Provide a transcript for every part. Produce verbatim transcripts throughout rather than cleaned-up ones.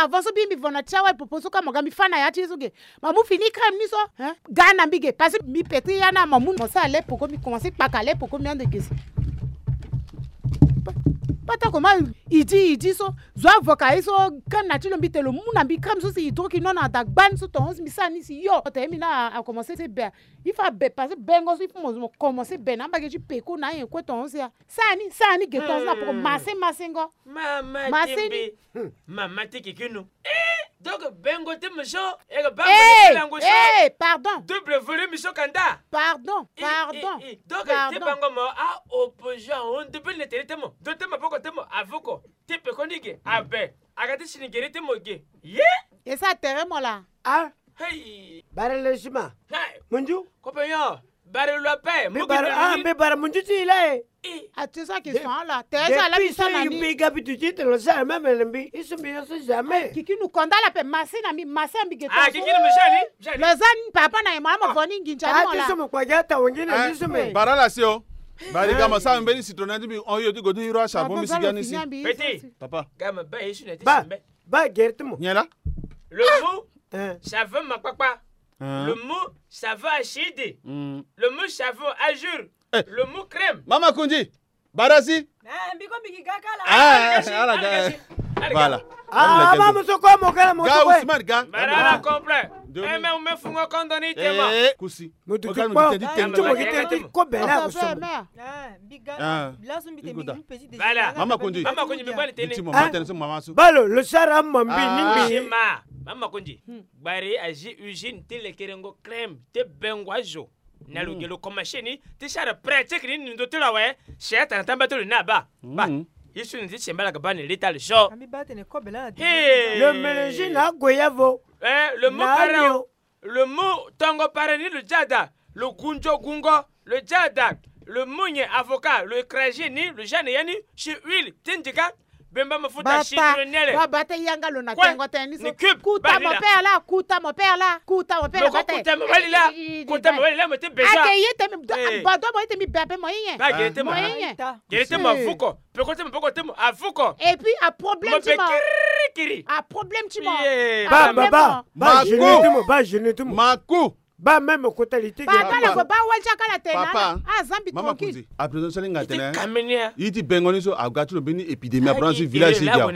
Avant so mbi mbi vo na ti awa e popo so ka mo ga mbi fâ na ya ti ye so ge. Ma mu fini crème ni so. Hein? Ga na mbi ge. Parce que mbi peti ya na ma mu mo sara le poko mbi commencé kpaka le poko mbi ande ge si. Pa- Pata koma idi idi so. Zo avocat ye so crème na ti lo mbi te lo mu na mbi crème so si hydroquinone na da gbani so tongo si mbi sara ni si yo. Ota ye mbi na a commencé ti be. Il faut abe parce que bengo so il faut mo mo commencé be na mbage ti peko na ayen kue tongo si a. Sani sani ge tongo si na poko mase mase ngo. Mama mase ni. Mama ti kikinu. Eh, donc bengo ti mo so e ga ba mo lango so. Eh, pardon. Double volume so kanda. Pardon, pardon. Donc ti bango mo a opposition on double ne tere ti mo. Do ti maboko ti mo avuko. Ti peko ni ge abe. A ga ti sini gere ti mo ge. Ye. E sa tere mo la. Ah. Hey. Bara le sima. Hey. Munju. Kope yo. Bara lo ape. Mbi bara, ah, mbi bara munju ti la e. Ah, c'est ça question là. T'es déjà là, depuis ça, il y a un gars qui te dit, tu le sais, même le mbi, il se met sur jamais. Kiki nous condamne la paix, massé na mi, massé ambi geto. Ah, kiki nous jali, jali. Lozane papa na ema mo voni nginja mo la. Ah, tu sais mo kwa gata wengine, tu sais mais. Bara la sio. Bari ga ma sa mbeni citron na mbi on yo ti go ti hiro a charbon mbi si gani si. Petit. Papa. Ga ma ba yesu na ti simbe. Ba gerte mo. Nyela. Le mot, ça veut ma papa. Le mot, ça veut achide. Le mot, ça veut ajure. Eh. Le mot crème. Mama Kundi, bara si. Eh, mbi ko mbi gi ga kala. Ah, ala ga. Voilà. Ah, ma mo so ko mo kala mo so ko. Ga Ousmane ga. Bara la complet. Eh, mais on me fungo kondo ni tema. Eh, kusi. Mo tu ki po. Tu mo ki te ti ko bela ko so. Eh, mbi ga. Laso mbi te mbi petit déjeuner. Voilà. Mama Kundi. Mama Kundi mbi bali tene. Ti mo ma tene so mama so. Balo, lo sara mo mbi ni mbi. Mama Kundi. Gbari azi usine ti lekerengo crème ti bengo azo. Na lo ge lo commencé ni ti sara pratique ni ndo ti lo awe. Si atana tamba ti lo ni aba. Ba. Ye so ni ti semba la ga ba ni leta le so. Ambi ba tene kobe la. Hey. Le mélange na goyavo. Eh, le mot parent. Le mot tongo parent ni lo jada. Lo gunjo gungo. Lo jada. Lo munye avocat. Lo écrasé ni. Lo jane ya ni. Si huile. Ti ndika. Bemba mafuta citronnelle. Ba bate yanga lo na tengo tene ni so. Kuta mon père là, kuta mon père là, kuta mon père là. Kuta mo bali la. Kuta mo bali la mo te besoin. Ake ye te mi ba do mo ye te mi be ape mo ye. Ba gere te mo. Mo ye. Gere te mo avuko. Peko te mo peko te mo avuko. Et puis a problème ti mo. Kiri kiri. A problème ti mo. Ba ba ba. Ba jeune ti mo, ba jeune ti mo. Maku. Ba même kota li ti. Ba kala ko ba wali ti akala tena. Papa. Ah, zambi tranquille. Mama Kundi. A présent so linga tene. Yi ti bengo ni so aga ti lo mbeni épidémie a présent si village si ga.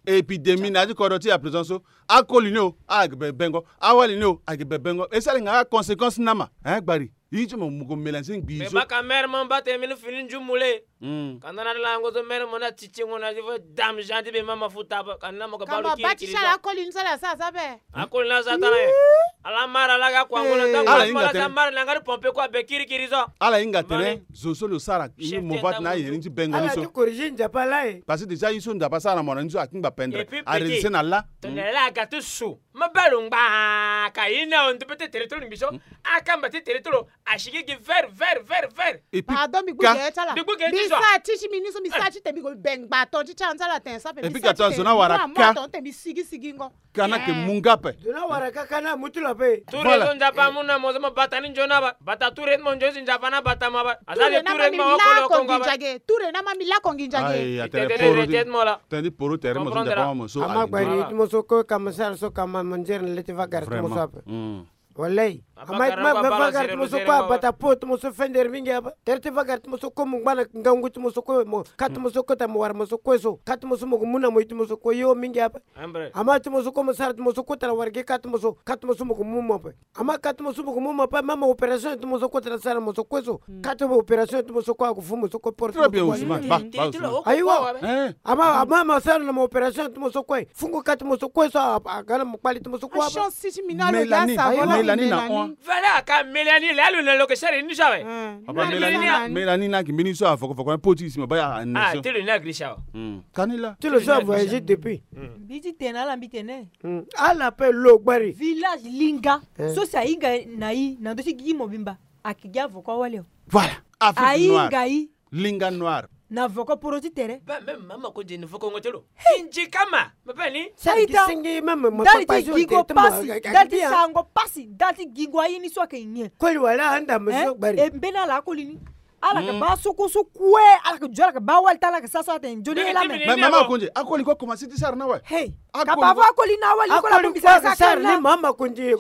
Épidémie na ti kodro ti a présent so. Akoli ni o a gi be bengo. Awali ni o a gi be bengo. E sara nga conséquence na ma. Hein, gbari. Yi ti mo mo ko mélanger ngbi so. Baka mère mo mba tene mbeni fini njumu le. Ka na na lango so mère mo na titi ngo na fo dame Jean ti be mama futa ba ka na mo ka ba lo kiri kiri so. Akoli ni sala sa sa be. Akoli na sa tara ye. Ala mara la ga kwa ngo na ta. Ala inga tene. Mara na ngari pompe kwa be kiri kiri so. Ala inga tene zo so lo sara ni mo va ti na ye ni ti bengo ni so. Ala ti corriger nzapa la ye. Parce que déjà yi so nzapa sara mo na ni so akingba pendre. A résister na la. Tongana la ga ti su. Ma balo ngba ka yi na on peut te tere tolo ngbi so. Akamba ti tere tolo. Asigi gi vert vert vert vert. Et puis pardon, mi gbu gere ti ala. Mi gbu gere ti so. Mi sa ti ti mi ni so mi sa ti te mi go bengba ton ti ti anzala ten sa pe. Et puis ka ton zona wara ka ton te mi sigi sigi ngo. Kana ke munga pe. Zona wara ka kana mutu la pe. Ture so nzapa mu na mo so mo bata ni nzona ba. Bata ture mo nzo si nzapa na bata ma ba. Azali ture ma wa kolo kongo ba. Ture na ma mi la kongi njage. Tete mo la. Tani poro tere mo so nzapa ma mo so. Ama gbari ti mo so ko ka mo sara so ka ma mo nzere na leti va gari ti mo so ape. Walay. Ama ma va gari ti mo so kue abata po ti mo so fendere mingi ape. Tere ti va gari ti mo so kue mo ngba na ngangu ti mo so kue mo ka ti mo so kue ta mo wara mo so kue so ka ti mo so mo ko mu na mo ye ti mo so kue yo mingi ape. Ama ti mo so kue mo sara ti mo so kue ta na wara gi ka ti mo so ka ti mo so mo ko mu mo ape. Ama ka ti mo so mo ko mu mo ape ma ma opération ti mo so kue ta na sara mo so kue so ka ti opération ti mo so kue ako fu mo so kue porte. Très bien Ousmane. Ayiwa. Ama ama ma sara na mo opération ti mo so kue. Fungo ka ti mo so kue so a ga na mo kpali ti mo so kue. Mélanie, Mélanie na on. Voilà ka Mélanie la lo na lo ke sara ni so awe. Papa Mélanie, Mélanie na ki mbeni so a foko foko po ti si ma ba ya nation. Ah ti lo na gri so. Kani la. Ti lo so a voyager depuis. Mbi ti tene ala mbi tene. Ala pe lo gbari. Village linga so si ahinga na yi na ndo ti gigi mobimba. Aki gi avocat wali o. Voilà. Afrique noire. Ahinga yi. Linga noir. Na voko poro ti tere. Ba même mama ko jeni voko ngo telo. Inji kama. Ma bani. Sari ki singi même mo ndali ti gingo pasi, ndali ti sango pasi, ndali ti gingo ayi ni so ake nyen. Koli wala anda mo so gbari. E mbeni ala akoli ni. Ala yeke baa so kue so kue. Ala yeke zo, ala yeke baa wali ti ala, ala yeke sara so atene nzoni ye la me. Mais mama Konde, akoli kue akomanse ti sara na awe. Hey, ka baa fo akoli na awali kue la. Akoli kue ayeke sara ni mama Konde.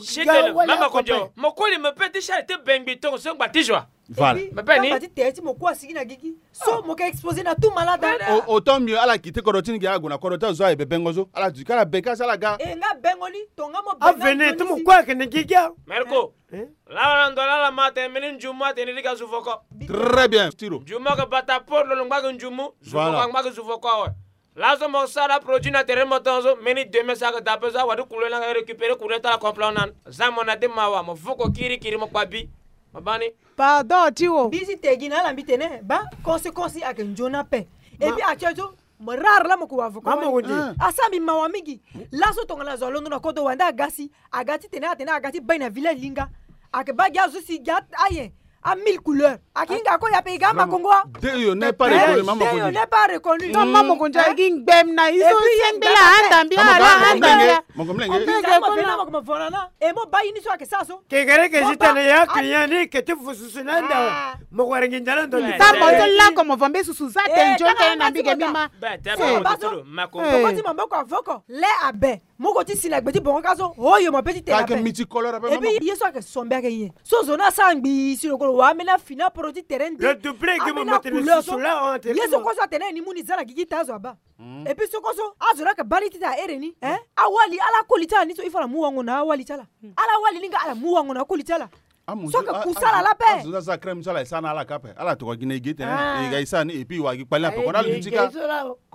Mama Konde, mo koli mo pe ti sara ti bengbi tongo so ngba ti joie. Voilà. Mpe ni ti tere ti mo kue asigi na gigi. So mo ke exposer na tout malade. Autant mieux ala kite kodro ti ni gi, ala gue na kodro ti azo aye, bebengo so ala duti kala beka si ala ga. E nga bengo ni, tonga mo bengo ni. Avenir ti mo kue ayeke na gigi. Merco. Lala ndo lala ma atene mbeni njumu atene ni ga zuvoko. Très bien, Tiro. Njumu ayeke bata port, lo lo ngba gi njumu. Zuvoko angba gi zuvoko awe. Laso mo sara produit na tere mo tongo so, mbeni demain so ayeke daa pe so, awadi couleur ni ayeke récupérer couleur ti ala complètement nani. Za mo na ti mawa, mo voko kirikiri, mo kpa bi. Mo baa ni. Pardon, Tiro. Mbi ti te gi na ala mbi tene, baa conséquence ni ayeke nzoni ape. Et puis actuel so, mo rare la mo ke wa voko. Mama Konde. Asara mbi mawa mingi. Laso tongana zo alondo na kodro wande aga si, aga ti tene atene aga ti bai na village linga. Ayeke baa gi azo si gi a, aye. A mille couleurs. Ayeke hinga kue ya pe, i ga amakongo. Deyo n'est pas reconnu, mama Konde. Deyo n'est pas reconnu. Non, mama Konde, agi ngbem na iso. Yengbe la anda mbi, ala anda mbi. Mama Konde, mama Konde. E mo baa ye ni so ayeke sara so. Kekere ke zi tene ya client ni ke ti fu susu na anda. Mo wara nginza na ndo ni. Tambo ti lako mo va mbe susu za te nzoni tene na mbi ge mbi ma. Makongo ti maboko avoko. Le abe. Mo ko ti si na gbe ti bongo ka so, oyo mo pe ti tene ape. Eke miti koloro ape. Et puis ye so ayeke sombe ayeke nyen? So zo ni asara ngbii si lo ko lo wara ambeni afini aporo ti tere nde. Ambeni acouleur so. Ye so kue so atene ni mu ni za na gigi ti azo abaa. Et puis so kue so azo ni ayeke baa ni ti tene ahere ni, hein? Awali, ala koli ti ala ni so il faut ala mu wango na awali ti ala. Ala wali ni nga ala mu wango na akoli ti ala. So ayeke kusa ala lape. Azo ni asara crème so ala e sara na ala ka ape. Ala tokua gi na e gi tene e ga e sara ni et puis e wara gi kpale ni ape. Kona luti ka.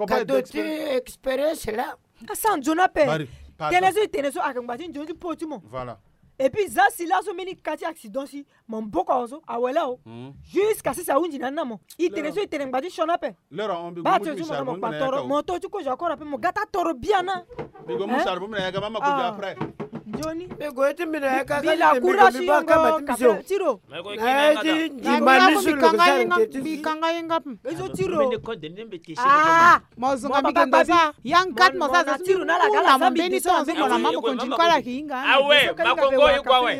Cadeau ti expérience la. Asara nzoni ape. Tene so e tene so ayeke ngba ti nzoni ti po ti mo. Voilà. Et puis za si laso mbeni ka ti accident si maboko awe so awe laa o. Jusqu'à si si ahunzi na ni na mo. E tene so e tene ngba ti sioni ape. Baa ti mo toro mo to ti kozo akora ape mo ga ti atoro biana. Mbi go mu sara bongbi na yanga mama Konde après. Nzoni. Mbi go ye ti mbi na yanga ka ti mbi go mbi baa kama ti mbi so. Tiro. Mbi kanga yenga, mbi kanga yenga. Ezo Tiro. Ah. Mo zonga mbi genda za. Yang kat mo za za Tiro na la gala mo mbeni to zo mo na mama Konde kala ki inga. Awe, makongo iko awe.